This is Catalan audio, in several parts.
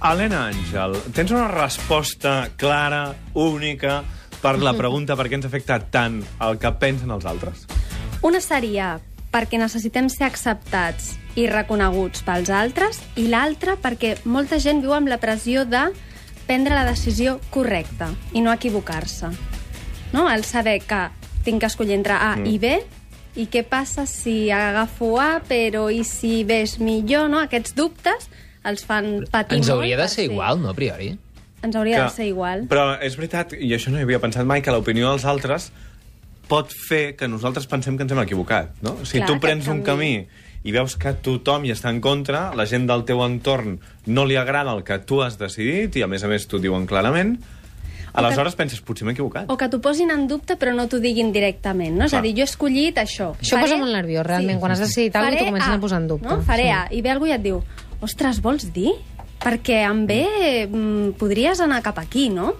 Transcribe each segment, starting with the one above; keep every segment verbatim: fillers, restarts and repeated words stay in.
Helena Àngel, tens una resposta clara, única, per la pregunta per què ens afecta tant el que pensen els altres? Una seria perquè necessitem ser acceptats i reconeguts pels altres, i l'altra perquè molta gent viu amb la pressió de prendre la decisió correcta i no equivocar-se. No? El saber que tinc que escollir entre A mm. i B, i què passa si agafo A, però i si B és millor, no? Aquests dubtes els fan patir molt. Ens hauria de ser igual, no, a priori? Ens hauria que, de ser igual. Però és veritat, i això no hi havia pensat mai, que l'opinió dels altres pot fer que nosaltres pensem que ens hem equivocat, no? Si Clar, tu prens un camí i veus que tothom hi està en contra, la gent del teu entorn no li agrada el que tu has decidit, i a més a més t'ho diuen clarament, aleshores que, penses, potser m'he equivocat. O que t'ho posin en dubte però no t'ho diguin directament, no? És a dir, jo he escollit això. Això faré... posa molt nerviós, realment, sí. Quan has decidit alguna cosa t'ho comencen a, a posar en dubte. No? Faré sí. A, i ve algú i et diu, ostres, vols dir? Perquè amb B mm, podries anar cap aquí, no?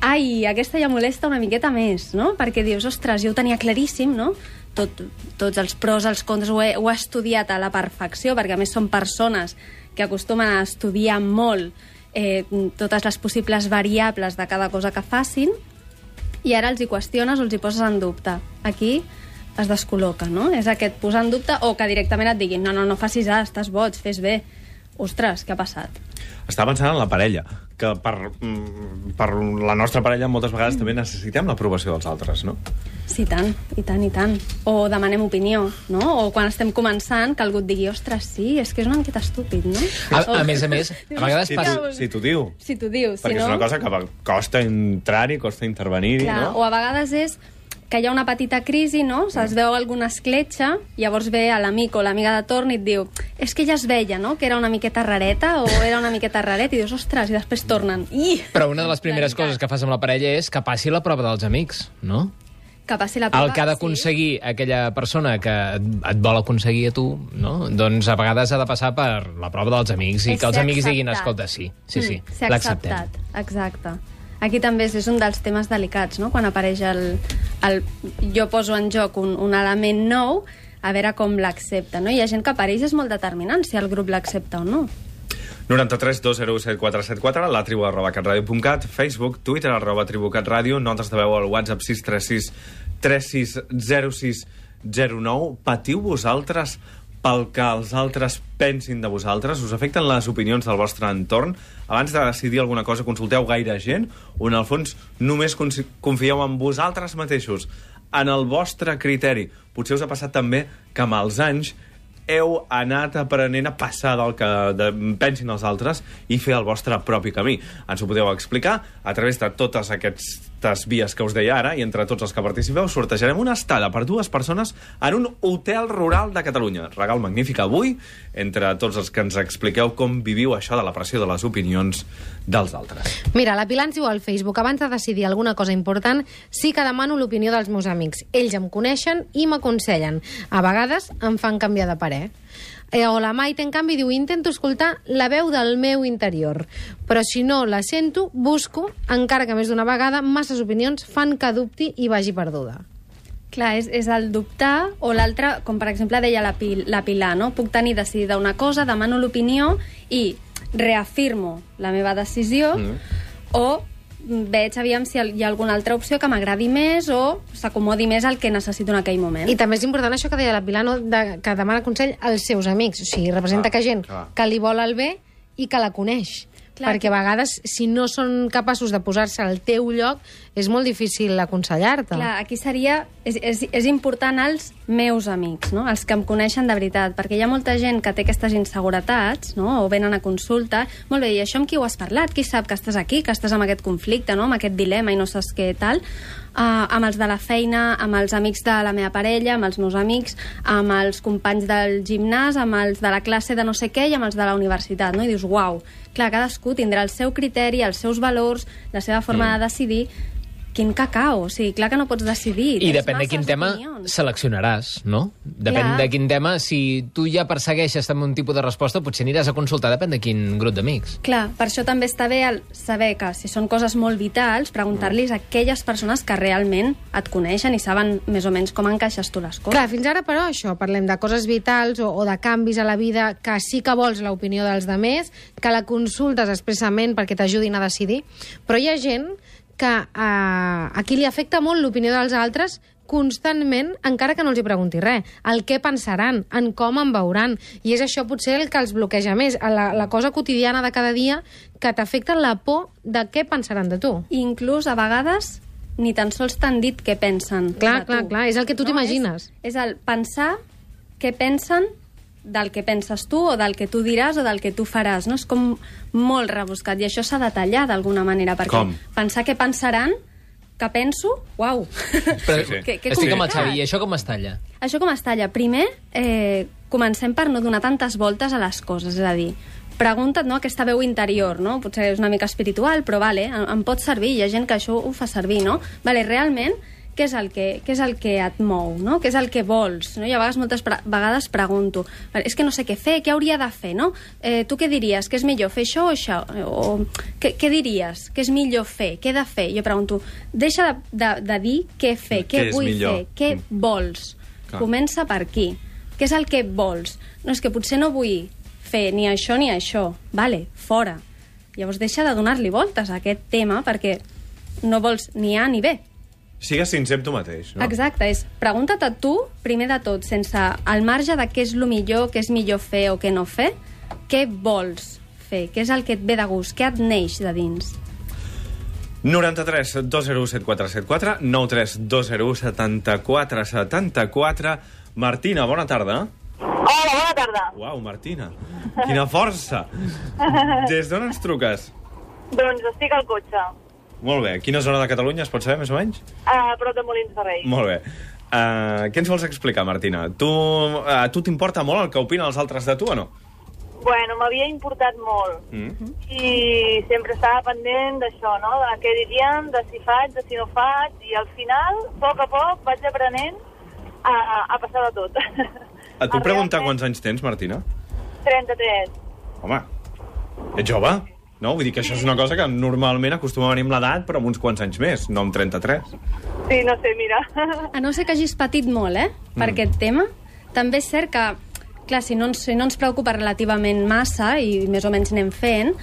Ai, aquesta ja molesta una miqueta més, no? Perquè dius, ostres, jo ho tenia claríssim, no? Tot, tots els pros, els contres, ho he, ho he estudiat a la perfecció, perquè a més són persones que acostumen a estudiar molt eh, totes les possibles variables de cada cosa que facin, i ara els hi qüestiones o els hi poses en dubte. Aquí es descol·loca, no? És aquest posar en dubte, o que directament et diguin, no, no, no facis A, estàs boig, fes B. Ostres, què ha passat? Estava pensant en la parella, que per, per la nostra parella moltes vegades mm. també necessitem l'aprovació dels altres, no? Sí, tant, i tant, i tant. O demanem opinió, no? O quan estem començant, que algú et digui, ostres, sí, és que és una miqueta estúpid, no? A, a més a més, a vegades si passa... Si t'ho diu. Si t'ho diu, si Perquè no... és una cosa que costa entrar-hi, costa intervenir-hi, no? O a vegades és que hi ha una petita crisi, no? Es veu alguna escletxa, llavors ve a l'amic o l'amiga de torn i et diu, és que ja es veia, no?, que era una miqueta rareta o era una miqueta raret, i dius, ostres, i després tornen. I... Però una de les primeres coses que fas amb la parella és que passi la prova dels amics, no? Que passi la prova, el que ha d'aconseguir sí. aquella persona que et vol aconseguir a tu, no? Doncs a vegades ha de passar per la prova dels amics i és que els amics acceptat. diguin, escolta, sí, sí, sí, mm, ser l'acceptem. acceptat, exacte. Aquí també és un dels temes delicats, no? Quan apareix el... el jo poso en joc un, un element nou, a veure com l'accepta, no? Hi ha gent que apareix és molt determinant si el grup l'accepta o no. noranta-tres dos zero set quatre set quatre, la tribu arroba catradio punt cat, Facebook, Twitter, arroba tribu catradio, notes de veu al WhatsApp sis tres sis tres sis zero sis zero nou. Patiu vosaltres pel que els altres pensin de vosaltres? Us afecten les opinions del vostre entorn? Abans de decidir alguna cosa, consulteu gaire gent? O, en el fons, només confieu en vosaltres mateixos, en el vostre criteri? Potser us ha passat també que amb els anys heu anat aprenent a passar del que de, pensin els altres i fer el vostre propi camí. Ens ho podeu explicar a través de totes aquestes vies que us deia ara, i entre tots els que participeu sortejarem una estada per dues persones en un hotel rural de Catalunya. Regal magnífic avui entre tots els que ens expliqueu com viviu això de la pressió de les opinions dels altres. Mira, la Pilar ens diu al Facebook, abans de decidir alguna cosa important, sí que demano l'opinió dels meus amics. Ells em coneixen i m'aconsellen. A vegades em fan canviar de parer. Eh, o la Maite, en canvi, diu, intento escoltar la veu del meu interior, però si no la sento, busco, encara que més d'una vegada, masses opinions fan que dubti i vagi perduda. Clar, és, és el dubtar, o l'altre, com per exemple deia la, Pil, la Pilar, no? Puc tenir decidida una cosa, demano l'opinió i reafirmo la meva decisió, mm. o veig, aviam, si hi ha alguna altra opció que m'agradi més o s'acomodi més al que necessito en aquell moment. I també és important això que deia la Pilar, no? de, que demana consell als seus amics. O sigui, representa ah, que gent ah. que li vol el bé i que la coneix. Clar, perquè a vegades, si no són capaços de posar-se al teu lloc, és molt difícil aconsellar-te. Clar, aquí seria... És, és, és important els meus amics, no? Els que em coneixen de veritat, perquè hi ha molta gent que té aquestes inseguretats, no? O venen a consulta. Molt bé, i això amb qui ho has parlat? Qui sap que estàs aquí, que estàs amb aquest conflicte, no? Amb aquest dilema i no saps què tal? Uh, amb els de la feina, amb els amics de la meva parella, amb els meus amics, amb els companys del gimnàs, amb els de la classe de no sé què i amb els de la universitat, no? I dius, uau, clar, cadascú tindrà el seu criteri, els seus valors, la seva forma mm. de decidir. quin cacao, o sigui, clar que no pots decidir. I Tens depèn de quin masses tema opinions. seleccionaràs, no? Depèn Clar. de quin tema, si tu ja persegueixes també un tipus de resposta, potser aniràs a consultar, depèn de quin grup d'amics. Clar, per això també està bé el saber que si són coses molt vitals, preguntar-los a aquelles persones que realment et coneixen i saben més o menys com encaixes tu les coses. Clar, fins ara, però, això, parlem de coses vitals o, o de canvis a la vida que sí que vols l'opinió dels demés, que la consultes expressament perquè t'ajudin a decidir, però hi ha gent que eh, a qui li afecta molt l'opinió dels altres constantment, encara que no els hi pregunti res. El què pensaran, en com em veuran. I és això potser el que els bloqueja més, la, la cosa quotidiana de cada dia que t'afecta la por de què pensaran de tu. I inclús, a vegades, ni tan sols t'han dit què pensen Clar, de clar, tu. clar, és el que tu t'imagines. És, és el pensar què pensen del que penses tu o del que tu diràs o del que tu faràs, no? És com molt rebuscat i això s'ha de tallar d'alguna manera, perquè Com? pensar què pensaran, que penso, uau! Però, Sí, sí. Que- que estic amb el complicat. Xavi, i això com es talla? Això com es talla? Primer, eh, comencem per no donar tantes voltes a les coses, és a dir, pregunta't, no?, aquesta veu interior, no? Potser és una mica espiritual, però vale, em, em pot servir, hi ha gent que això ho fa servir, no? Vale, realment, què és el que, què és el que et mou, no? Què és el que vols? No? I a vegades, moltes pre vegades pregunto, és que no sé què fer, què hauria de fer, no? Eh, tu què diries? Que és millor fer això o això? O què, què diries? Què és millor fer? Què he de fer? Jo pregunto, deixa de, de, de dir què fer, què, Què és vull millor? fer, què Mm. vols. Clar. Comença per aquí. Què és el que vols? No, és que potser no vull fer ni això ni això. Vale, fora. Llavors deixa de donar-li voltes a aquest tema perquè no vols ni A ni B. Sigues sincer amb tu mateix, no? Exacte, és pregunta't a tu, primer de tot, sense al marge de què és el millor, què és millor fer o què no fer, què vols fer, què és el que et ve de gust, què et neix de dins. noranta-tres dos zero u set quatre set quatre, nou tres dos zero u setanta-quatre setanta-quatre. Martina, bona tarda. Hola, bona tarda. Uau, Martina, quina força. Des d'on ens truques? Doncs estic al cotxe, Molt bé. Quina zona de Catalunya es pot saber, més o menys? a prop de Molins de Rei. Molt bé. Uh, què ens vols explicar, Martina? Tu, uh, tu t'importa molt el que opinen els altres de tu o no? Bueno, m'havia importat molt Mm. i sempre estava pendent d'això, no? De què dirien, de si faig, de si no faig, i al final, a poc a poc, vaig aprenent a, a passar de tot. A tu A preguntar realment- quants anys tens, Martina? trenta-tres. Home, ets jove? No? Vull dir que això és una cosa que normalment acostuma a venir amb l'edat, però amb uns quants anys més, no amb trenta-tres. Sí, no sé, mira. A no ser que hagis patit molt, eh, per Mm. aquest tema. També és cert que, clar, si no, ens, si no ens preocupa relativament massa i més o menys anem fent,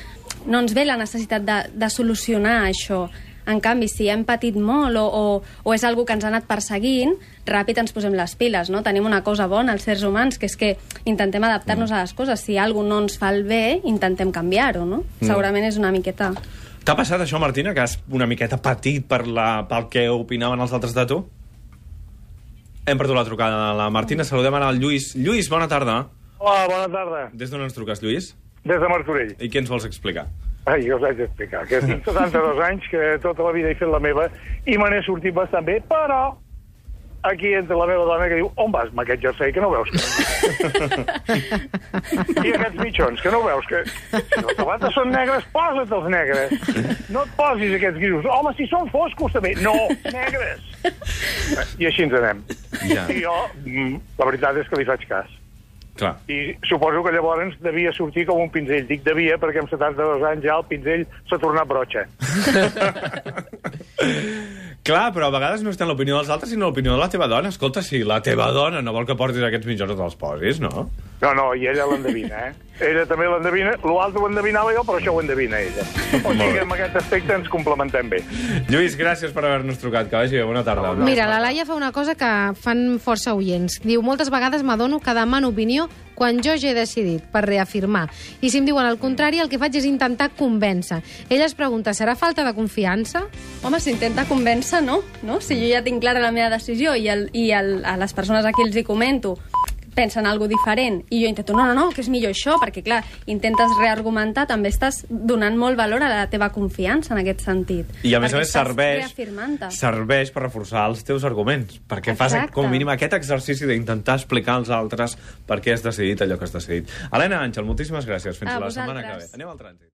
no ens ve la necessitat de, de solucionar això. En canvi, si hem patit molt o, o, o és algo que ens ha anat perseguint, ràpid ens posem les piles, no? Tenim una cosa bona, els éssers humans, que és que intentem adaptar-nos a les coses. Si alguna no ens fa el bé, intentem canviar-ho, no? Mm. Segurament és una miqueta... T'ha passat això, Martina, que has una miqueta patit per la, pel que opinaven els altres de tu? Hem perdut la trucada de la Martina. Saludem ara al Lluís. Lluís, bona tarda. Hola, bona tarda. Des d'on ens truques, Lluís? Des de Martorell. I què ens vols explicar? Ai, jo us haig d'explicar que tinc setanta-dos anys, que tota la vida he fet la meva, i me n'he sortit bastant bé, però aquí entra la meva dona que diu, on vas amb aquest jersei, que no veus que... I aquests mitjons, que no veus que... Si les sabates són negres, posa't els negres. No et posis aquests grisos. Home, si són foscos també. No, negres. I així ens anem. Ja. I jo, mm, la veritat és que li faig cas. Clar. I suposo que llavors devia sortir com un pinzell. Dic devia perquè amb setanta-dos anys ja el pinzell s'ha tornat brotxa. Clar, però a vegades no està en l'opinió dels altres, sinó l'opinió de la teva dona. Escolta, si la teva dona no vol que portis aquests mitjons, no te'ls posis, no? No, no, i ella l'endevina, eh? Ella també l'endevina. L'altre ho endevinava jo, però això ho endevina ella. O sigui que en aquest aspecte ens complementem bé. Lluís, gràcies per haver-nos trucat. Que vagi bé, bona tarda. Mira, la Laia fa una cosa que fan força oients. Diu, moltes vegades m'adono que demano opinió quan jo ja he decidit, per reafirmar. I si em diuen el contrari, el que faig és intentar convèncer. Ella es pregunta, serà falta de confiança? Home, s'intenta convèncer, no? no? Si jo ja tinc clara la meva decisió i, el, i el, a les persones a qui els hi comento pensen algo diferent i jo intento, no, no, no, que és millor això, perquè clar, intentes reargumentar, també estàs donant molt valor a la teva confiança en aquest sentit. I a més a Perquè més estàs serveix, reafirmant-te. serveix per reforçar els teus arguments, perquè fas Exacte. com a mínim aquest exercici d'intentar explicar als altres per què has decidit allò que has decidit. Helena Àngel, moltíssimes gràcies. Fins A la setmana que ve. vosaltres. Anem al trànsit.